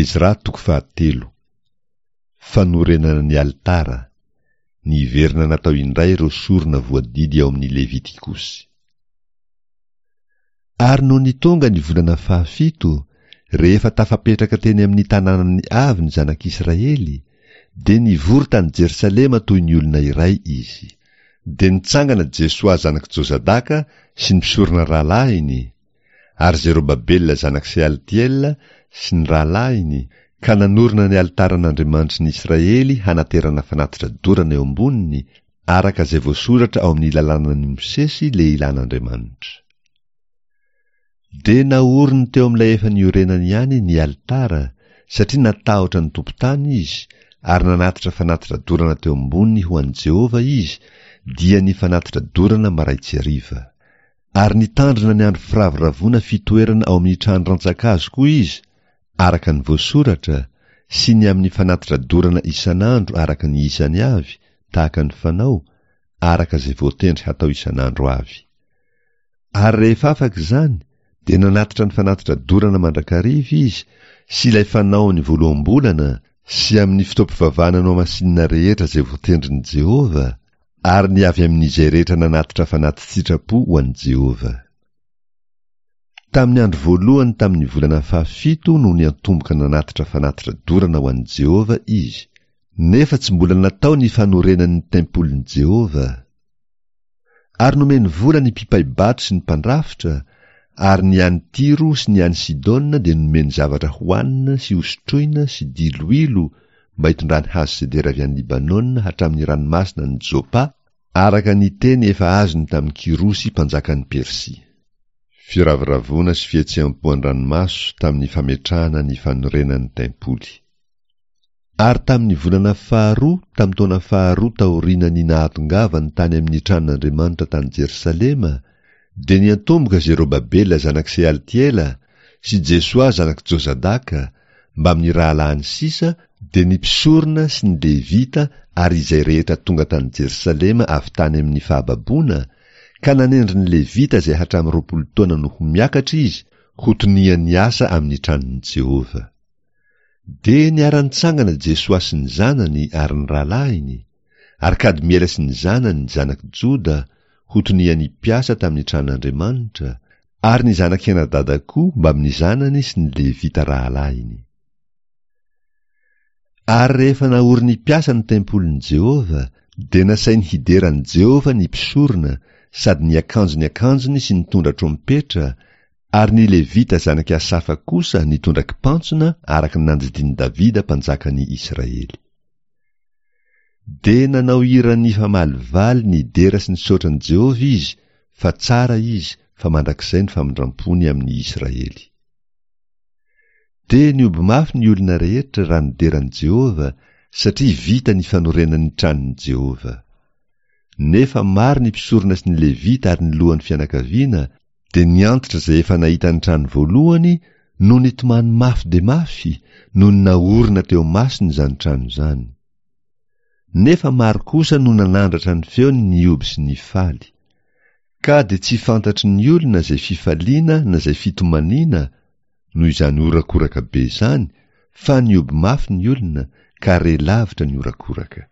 Ezra toko fahatelo. Fanorenana ny alitara. Niverina natao indray ireo sorona voadidy ao amin'ny Levitikosy. Ary nony tonga ny volana fahafito, rehefa tafapetraka teny amin'ny tanànany avy ny zanak'Israely, dia nivory tany Jerosalema toy ny olona iray izy. Dia nitsangana Jesoa zanak'i Jozadaka sy ny mpisorona rahalahiny, ary Zerobabela zanak'i Sealtiela sy ny rahalahiny, ka nanorina ny alitaran'Andriamanitry ny Israely hanaterana fanatitra dorana eo amboniny, araka izay voasoratra ao amin'ny lalànan'i Mosesy lehilahin'Andriamanitra. Dia naoriny teo amin'ilay efa niorenany ihany ny alitara, satria natahotra ny tompon-tany izy, ary nanatitra fanatitra dorana teo amboniny ho an'i Jehovah izy, dia ny fanatitra dorana marain-tsy hariva. Ary nitandrina ny andro firavoravoana fitoerana ao amin'ny trano rantsankazo koa izy, araka ny voasoratra, sy ny amin'ny fanatitra dorana isan'andro araka ny isany avy, tahaka ny fanao, araka izay voatendry hatao isan'andro avy. Ary rehefa afaka izany, dia nanatitra ny fanatitra dorana mandrakariva izy sy ilay fanao ny voaloham-bolana sy amin'ny fotoam-pivavahana nohamasinina rehetra izay voatendrin'i Jehovah, ary ny avy amin'izay rehetra nanatitra fanati-tsitrapo ho an'i Jehovah. Tamin'ny andro voalohany tamin'ny volana fahafito no niantomboka nanatitra fanatitra dorana ho an'i Jehovah izy, nefa tsy mbola natao ny fanorenan'ny tempolin'i Jehovah. Ary nomeny vola ny mpipai-bato sy ny mpandrafitra, ary ny any Tyro sy ny any Sidona dia nomeny zavatra hohanina sy hosotroina sy diloilo mba hitondrany hazo sedera avy any Libanona hatramin'ny ranomasina any Jopa, araka ny teny efa azony tamin'i Kyrosy mpanjakan'i Persia. Firavoravoana sy fihetseham-po an-dranomaso tamin'ny fametrahana ny fanorenan'ny tempoly. Ary tamin'ny volana faharoa tamin'ny taona faharoa taorian'ny nahatongavany tany amin'ny tranon'Andriamanitra tany Jerosalema, dia niantomboka Zerobabela zanak'i Sealtiela sy Jesoa zanak'i Jozadaka, mbamin'ny rahalahiny sisa, dia ny mpisorona sy ny Levita ary izay rehetra tonga tany Jerosalema avy tany amin'ny fahababoana, ka nanendry ny Levita izay hatramin'ny 20 taona no ho miakatra izy ho tonian'ny asa amin'ny tranon'i Jehovah. Dia niara-nitsangana Jesoa sy ny zanany ary ny rahalahiny, ary Kadmiela sy ny zanany, zanak'i Joda, ho tonian'ny mpiasa tamin'ny tranon'Andriamanitra, ary ny zanak'i Henadada koa mbamin'ny zanany sy ny Levita rahalahiny. Ary rehefa naorin'ny mpiasa ny tempolin'i Jehovah, dia nasainy hidera an'i Jehovah ny mpisorona, sady niakanjo ny akanjony sy nitondra trompetra, Ary ny Levita zanak'i Asafa kosa nitondra kipantsona araka ny nandidian'i Davida mpanjakan'i Israely. Dia nanao hira nifamalivaly nidera sy nisaotra an'i Jehovah izy fa tsara izy fa mandrakizay ny famindram-pony amin'ny Israely. Dia nihoby mafy ny olona rehetra raha nidera an'i Jehovah satria vita ny fanorenan'ny tranon'i Jehovah. Nefa maro ny mpisorona sy ny Levita ary ny lohan'ny fianakaviana dia ny antitra izay efa nahita ny trano voalohany no nitomany mafy dia mafy nony naorina teo masony izany trano izany. Nefa maro kosa no nanandratra ny feony nihoby sy nifaly. Ka dia tsy fantatry ny olona izay fifaliana na izay fitomaniana noho izany horakoraka be izany fa nihoby mafy ny olona ka re lavitra ny horakoraka.